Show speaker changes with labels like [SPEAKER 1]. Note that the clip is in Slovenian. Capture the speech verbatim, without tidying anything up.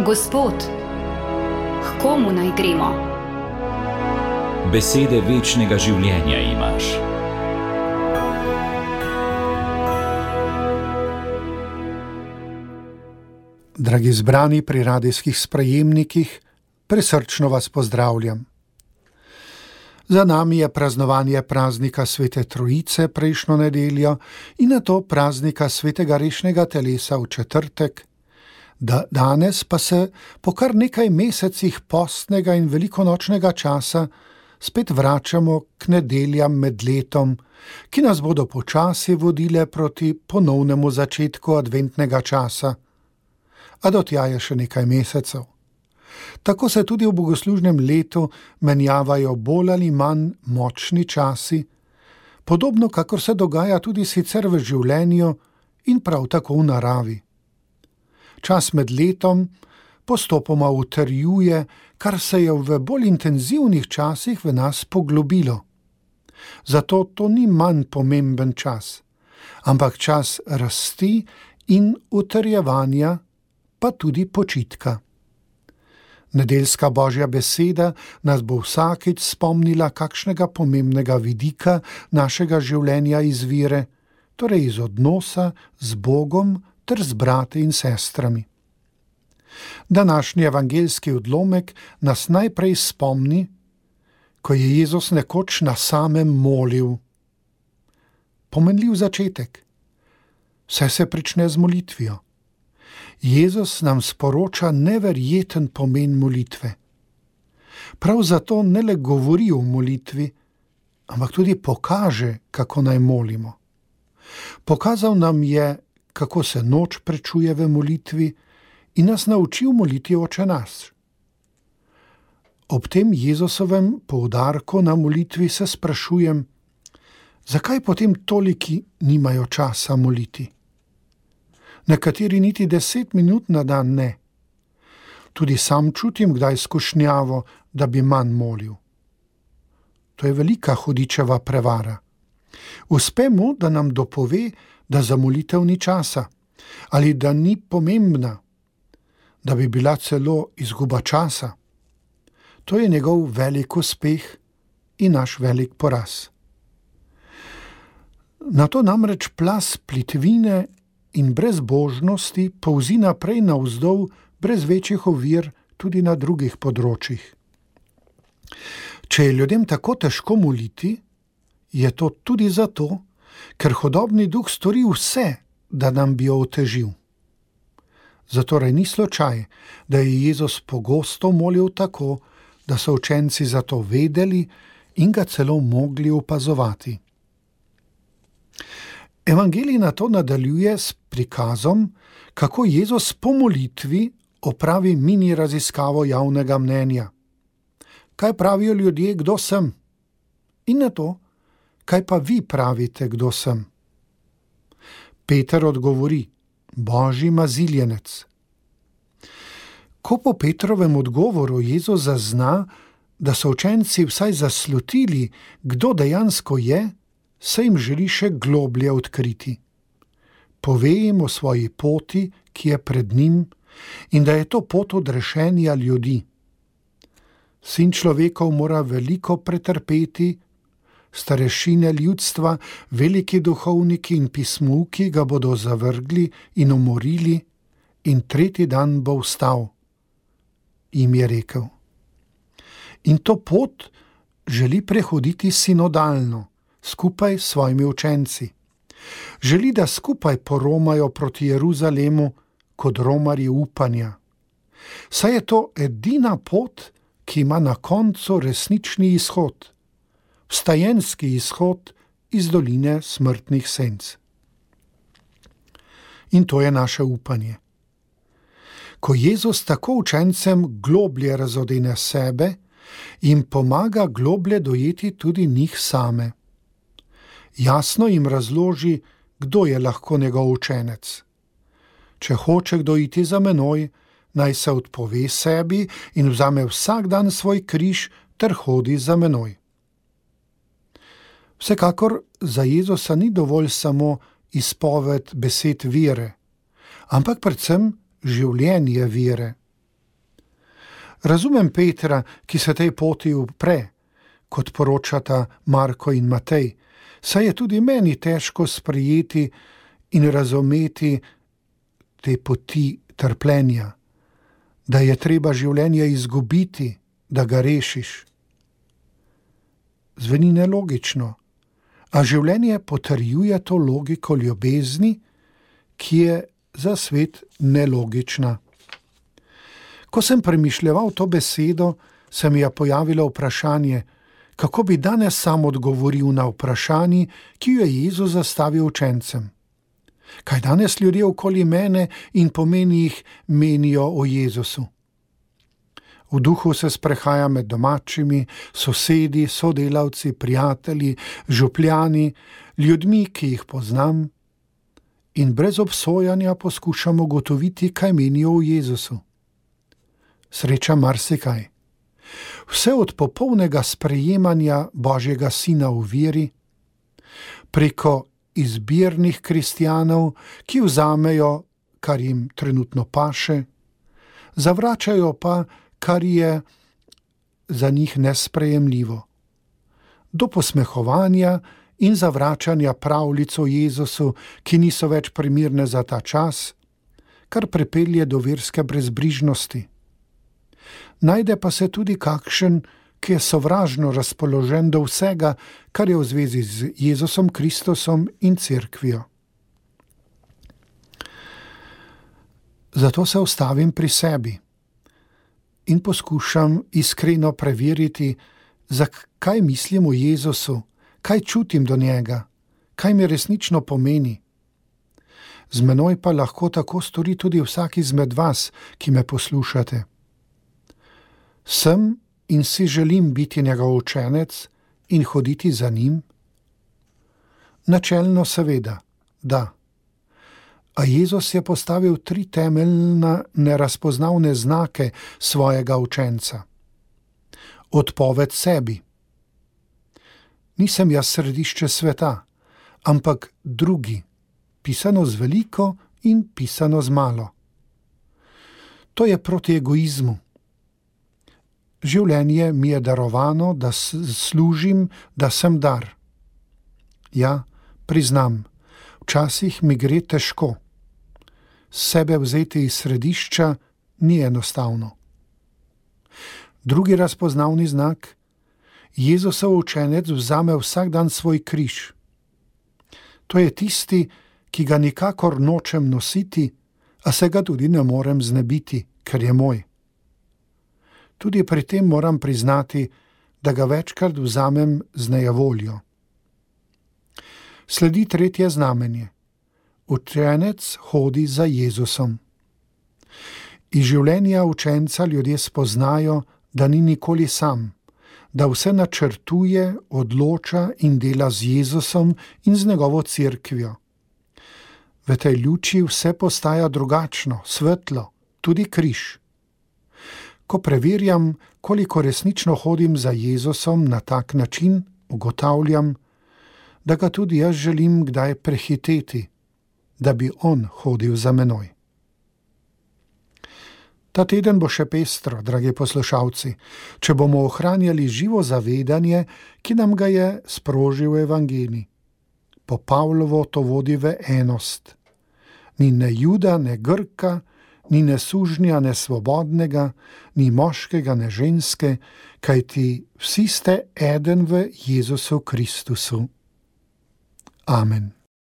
[SPEAKER 1] Gospod, k komu naj gremo?
[SPEAKER 2] Besede večnega življenja imaš.
[SPEAKER 3] Dragi zbrani pri radijskih sprejemnikih, prisrčno vas pozdravljam. Za nami je praznovanje praznika Svete Trojice prejšnjo nedeljo in nato praznika Svetega rešnega telesa v četrtek, da danes pa se po kar nekaj mesecih postnega in velikonočnega časa spet vračamo k nedeljam med letom, ki nas bodo počasi vodile proti ponovnemu začetku adventnega časa. A do tja je še nekaj mesecev. Tako se tudi v bogoslužnem letu menjavajo bolj ali manj močni časi, podobno kakor se dogaja tudi sicer v življenju in prav tako v naravi. Čas med letom postopoma utrjuje, kar se je v bolj intenzivnih časih v nas poglobilo. Zato to ni manj pomemben čas, ampak čas rasti in utrjevanja, pa tudi počitka. Nedeljska Božja beseda nas bo vsakič spomnila kakšnega pomembnega vidika našega življenja izvire, torej iz odnosa z Bogom ter z brati in sestrami. Današnji evangeljski odlomek nas najprej spomni, ko je Jezus nekoč na samem molil. Pomenljiv začetek. Vse se prične z molitvijo. Jezus nam sporoča neverjeten pomen molitve. Prav zato ne le govori o molitvi, ampak tudi pokaže, kako naj molimo. Pokazal nam je, kako se noč prečuje v molitvi in nas naučil moliti Oče naš. Ob tem Jezusovem poudarku na molitvi se sprašujem, zakaj potem toliki nimajo časa moliti? Nekateri niti deset minut na dan ne. Tudi sam čutim kdaj skušnjavo, da bi manj molil. To je velika hudičeva prevara. Uspe mu, da nam dopove, da za molitev ni časa, ali da ni pomembna, da bi bila celo izguba časa. To je njegov velik uspeh in naš velik poraz. Na to namreč plaz plitvine in brezbožnosti polzi naprej navzdol brez večjih ovir tudi na drugih področjih. Če je ljudem tako težko moliti, je to tudi zato, ker hudobni duh stori vse, da nam bi jo otežil. Zatorej ni slučaj, da je Jezus pogosto molil tako, da so učenci za to vedeli in ga celo mogli opazovati. Evangelij na to nadaljuje s prikazom, kako Jezus po molitvi opravi mini raziskavo javnega mnenja. Kaj pravijo ljudje, kdo sem? In na to, kaj pa vi pravite, kdo sem? Peter odgovori, Božji maziljenec. Ko po Petrovem odgovoru Jezus zazna, da so učenci vsaj zaslutili, kdo dejansko je, se jim želi še globlje odkriti. Pove jim o svoji poti, ki je pred njim, in da je to pot odrešenja ljudi. Sin človekov mora veliko pretrpeti, starešine ljudstva, veliki duhovniki in pismuki ga bodo zavrgli in umorili in tretji dan bo vstal, jim je rekel. In to pot želi prehoditi sinodalno, skupaj s svojimi učenci. Želi, da skupaj poromajo proti Jeruzalemu kot romarji upanja. Saj je to edina pot, ki ima na koncu resnični izhod, vstajenski izhod iz doline smrtnih senc. In to je naše upanje. Ko Jezus tako učencem globlje razodene sebe, jim pomaga globlje dojeti tudi njih same. Jasno jim razloži, kdo je lahko njegov učenec. Če hoče kdo iti za menoj, naj se odpove sebi in vzame vsak dan svoj križ ter hodi za menoj. Vsekakor za Jezusa ni dovolj samo izpoved besed vere, ampak predvsem življenje vere. Razumem Petra, ki se tej poti upre, kot poročata Marko in Matej, saj je tudi meni težko sprejeti in razumeti te poti trpljenja, da je treba življenje izgubiti, da ga rešiš. Zveni nelogično, a življenje potrjuje to logiko ljubezni, ki je za svet nelogična. Ko sem premišljeval to besedo, se mi je pojavilo vprašanje, kako bi danes sam odgovoril na vprašanje, ki jo je Jezus zastavil učencem. Kaj danes ljudje okoli mene in pomeni jih menijo o Jezusu? V duhu se sprehajam med domačimi, sosedi, sodelavci, prijatelji, župljani, ljudmi, ki jih poznam, in brez obsojanja poskušam ugotoviti, kaj menijo o Jezusu. Sreča marsikaj. Vse od popolnega sprejemanja Božjega Sina v veri, preko izbirnih kristjanov, ki vzamejo, kar jim trenutno paše, zavračajo pa, kar je za njih nesprejemljivo, do posmehovanja in zavračanja pravljic o Jezusu, ki niso več primirne za ta čas, kar pripelje do verske brezbrižnosti. Najde pa se tudi kakšen, ki je sovražno razpoložen do vsega, kar je v zvezi z Jezusom Kristusom in cerkvijo. Zato se ustavim pri sebi in poskušam iskreno preveriti, zakaj mislim o Jezusu, kaj čutim do njega, kaj mi resnično pomeni. Z menoj pa lahko tako stori tudi vsak izmed vas, ki me poslušate. Sem in si želim biti njegov učenec in hoditi za njim? Načelno seveda, da. A Jezus je postavil tri temeljna nerazpoznavne znake svojega učenca. Odpoved sebi. Nisem jaz središče sveta, ampak drugi, pisano z veliko in pisano z malo. To je proti egoizmu. Življenje mi je darovano, da služim, da sem dar. Ja, priznam, včasih mi gre težko. Sebe vzeti iz središča ni enostavno. Drugi razpoznavni znak, Jezusov učenec vzame vsak dan svoj križ. To je tisti, ki ga nikakor nočem nositi, a se ga tudi ne morem znebiti, ker je moj. Tudi pri tem moram priznati, da ga večkrat vzamem z nejevoljo. Sledi tretje znamenje. Učenec hodi za Jezusom. Iz življenja učenca ljudje spoznajo, da ni nikoli sam, da vse načrtuje, odloča in dela z Jezusom in z njegovo cerkvijo. V tej luči vse postaja drugačno, svetlo, tudi križ. Ko preverjam, koliko resnično hodim za Jezusom na tak način, ugotavljam, da ga tudi jaz želim kdaj prehiteti, da bi on hodil za menoj. Ta teden bo še pestro, dragi poslušalci, če bomo ohranjali živo zavedanje, ki nam ga je sprožil evangelij. Po Pavlovo to vodi v enost. Ni ne Juda, ne Grka, ni ne sužnja, ne svobodnega, ni moškega, ne ženske, kajti vsi ste eden v Jezusu Kristusu. Amen.